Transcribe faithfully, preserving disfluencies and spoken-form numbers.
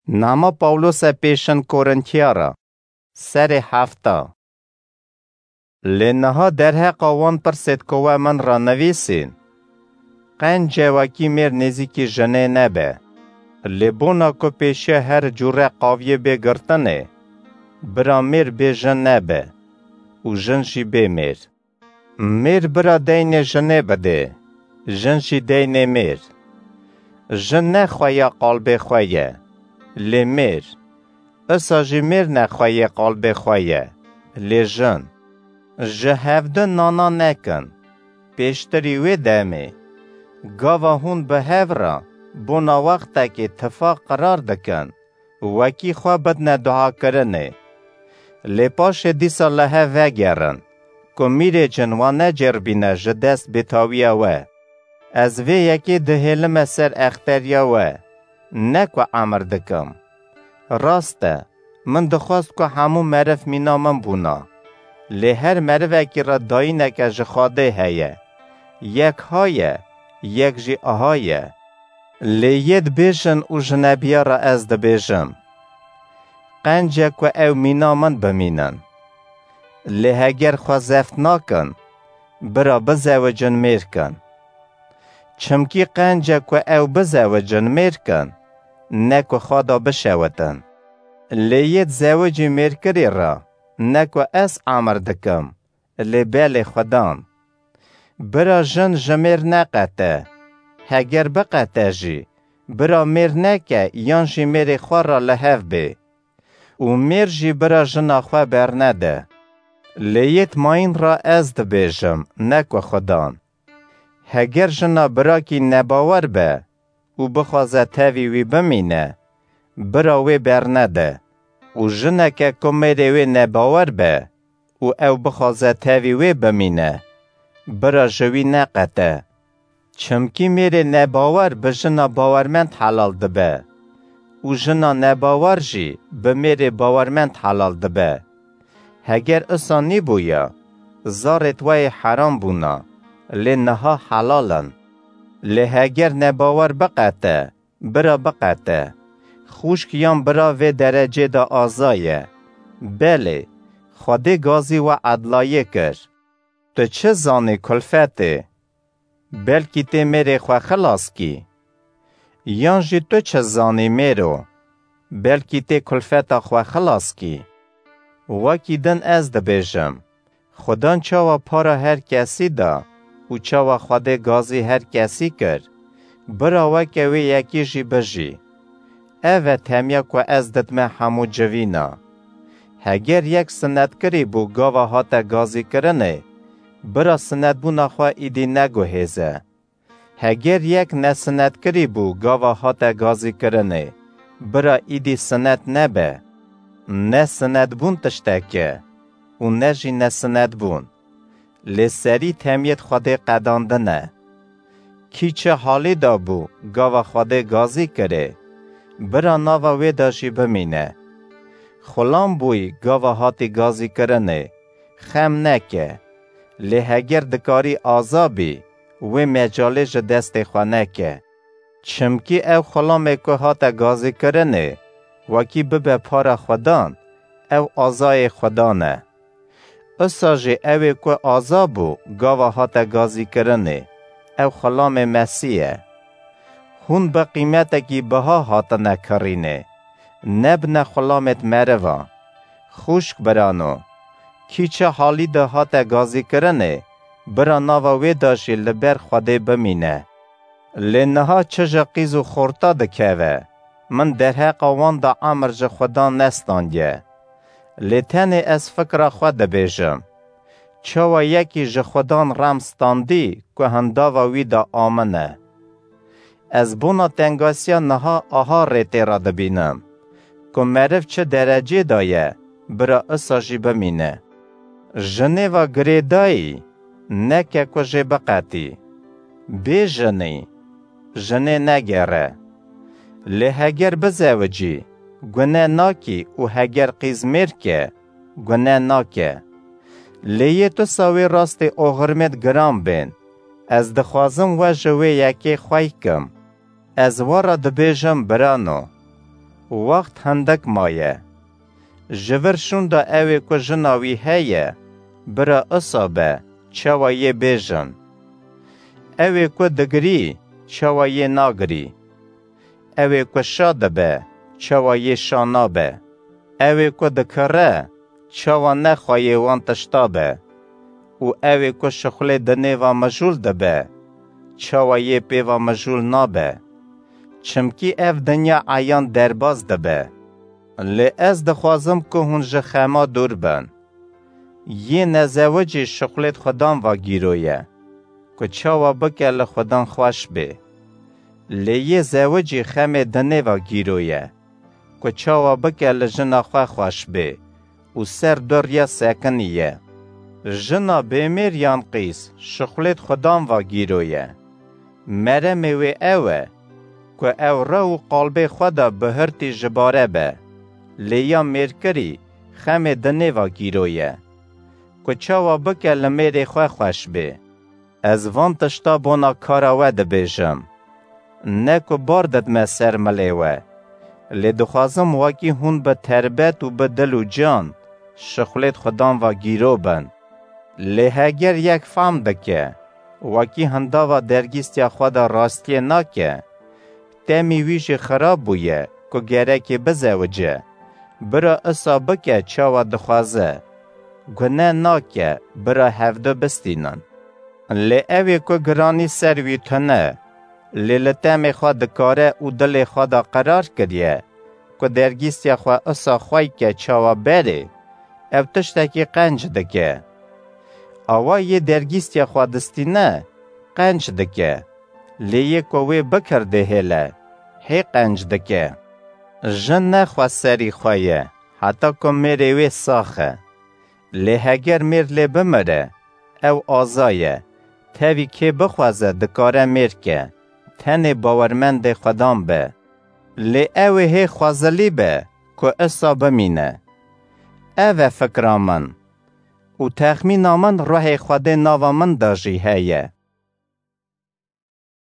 Nama Pawlose pêşin Korintiya re, serê hefta. Lê niha derheqa wan pirsêd ku we min re nivîsîn, qenc e wekî mêr nêzîkî jinê nebe. Lê bona ku pêşiya her cûre qaviyê bê girtinê, bira mêr bê jin nebe û jin jî bê mêr. Mêr bira deynê jinê bidê, jin jî deynê mêr. Jin ne xweya qalbê xwe ye, lê mêr. Isa jî mêr ne xweyê qalbê xwe ye, lê jin. Ji hevdu nana nekin, pêştirî wê demê. Gava hûn bi hev re bona wextekê tifaq qirar dikin, wekî xwe bidne duakirinê. Lê paşê dîsa li hev vegerin, ku mîrê cin wan necêribîne ji dest bêtawiya we. Ez vê yekê dihêlime ser exteriya we, ne ku emir dikim. Rast e, min dixwest ku hemû meriv mîna min bûna. Lê her merivekî re dayîneke ji Xwedê heye. Yek ha ye, yek jî aha ye. Lê yê dibêjin û ji nebiya re ez dibêjim. Qenc e ku ew mîna min bimînin. Lê heger xwe zeft nakin, bira bizewicin mêr kin. Çimkî qenc e ku ew bizewicin mêr kin, ne ku xwe da bişewitin. Lê yê dizewicî mêrkirî re, ne ku ez emir dikim, lê belê Xudan. Bira jin ji mêr neqete, heger biqete jî, bira mêr neke yan jî mêrê xwe re li hev bê. Û mêr jî bira jina xwe bernede. Lê yêt mayîn re ez dibêjim, ne ku Xudan. Heger jina birakî nebawer be û bixwaze tevî wî bimîne, bira wê bernede. Û jineke ku mêrê wê nebawer be û ew bixwaze tevî wê bimîne, bira ji wî neqete. Çimkî mêrê nebawer bi jina bawermend helal dibe û jina nebawer jî bi mêrê bawermend helal dibe. Heger isa nîbûya, zarê tweyê heram bûna, lê niha helal in. Lê heger nebawer biqete, bira biqete. Xwişk yan bira vê derecê de aza ye. Belê, Xwedê gazî we edlayê kir. Tu çi zanî kulfetê? Belkî tê mêrê xwe xilas kî. Yan jî tu çi zanî mêro? Belkî tê kulfeta xwe xilas kî. Wekî din ez dibêjim, Xudan çawa para her kesî da û çawa Xwedê gazî her kesî kir, bira weke wê yekî jî bijî. Ev e temiya ku ez didime hemû civîna. Heger yek sinetkirî bû gava hate gazîkirinê, bira sinetbûna xwe îdî neguhêze. Heger yek nesinetkirî bû gava hate gazîkirinê, bira îdî sinet nebe. Ne sinetbûn tiştek e û ne jî nesinetbûn. Lê serî temiyêt Xwedê qedandine. Kî çi halî de bû gava Xwedê gazî kirê, bira nava wê de jî bimîne. Xulam bûyî gava hatî gazîkirinê, xem neke. Lê heger dikarî aza bî, wê mecalê ji destê xwe neke. Çimkî ew xulamê ku hate gazîkirinê, wekî bibe para Xudan, ew azayê Xudan e. Isa jî ew ê ku aza bû, gava hate gazîkirinê, ew xulamê Mesîh e. Hûn bi qîmetekî biha hatine kirînê, nebine xulamêt meriva. Xwişk birano, kî çi halî de hate gazîkirinê, bira nava wê de jî li ber Xwedê bimîne. Lê niha çi ji qîz û xorta dikeve, min derheqa wan de emir ji Xudan nestandiye. Lê tenê ez fikra xwe dibêjim. Çawa yekî ji Xudan rem standî ku hindava wî de amine? Ez bona tengasiya niha aha rê tê re dibînim, ku meriv çi derecê de ye, bira isa jî bimîne. Ji nêva girêdayî neke ku jê biqetî. Bê jinî, jinê negere. Lê heger bizewicî, gune nakî û heger qîz mêr ke, gune nake. Lê yê tu sawê rastê oxirmêt giran bên. Ez dixwazim we ji wê yekê xwey kim. Ez we re dibêjim birano, Wext hindek maye. Ji vir şûnda ewê ku jina wî heye, bira isa be, çawa yê bêjin? Ewê ku digirî, çawa yê nagirî? Ewê ku şa dibe, çawa yê şa nabe? Ewê ku dikire, çawa nexwayê wan tişta be? Û ewê ku şixulê di nêva mijûl dibe, çawa yê pêva mijûl nabe? Çimkî ev dinya eyan derbas dibe. Lê ez dixwazim ku hûn ji xema dûr bin. Yê nezewicî şixulêd xudan va gîro ye, ku çawa bike li xudan xweş bê. Lê yê zewicî xemê dinê va gîro ye, ku çawa bike li jina xwe xweş bê û ser du riya sekinî ye. Jina bêmêr yan qîz şixulêd xudan va gîro ye. Meremê wê ew e, ku ew re û qalbê xwe de bihirtî ji bare be, lê ya mêrkirî xemê dinê va gîro ye, ku çawa bike li mêrê xwe xweş bê. Ez van tişta bona kara we dibêjim. Ne ku bar didme ser milê we, lê dixwazim wekî hûn bi terbet û bi dil û can şixulêd xudan va gîro bin. Lê heger yek fam dike, wekî hindava dergîstiya xwe de rastiyê nake, temî wî jî xirab bûye ku gerekê bizewice, bira isa bike çawa dixwaze. Gune nake bira hevdu bistînin. Lê ew ê ku giranî ser wî tune, lê li temê xwe dikare û dilê xwe de qerar kiriye ku dergîstiya xwe isa xwey ke çawa berê, ew tiştekî qenc dike. Awa yê dergîstiya xwe distîne, qenc dike. Lê yê ku wê bikir dihêle, hê qenc dike. Jin ne xweserî xwe ye, heta ku mêrê wê sax e. Lê heger mêr lê bimire, ew aza ye. Tevî kê bixwaze dikare mêr ke. Tenê bawermendê xudan be. Lê ew ê hê xwezilî be ku isa bimîne. Ev e fikra min. Û texmîna min ruhê Xwedê nava min de jî heye.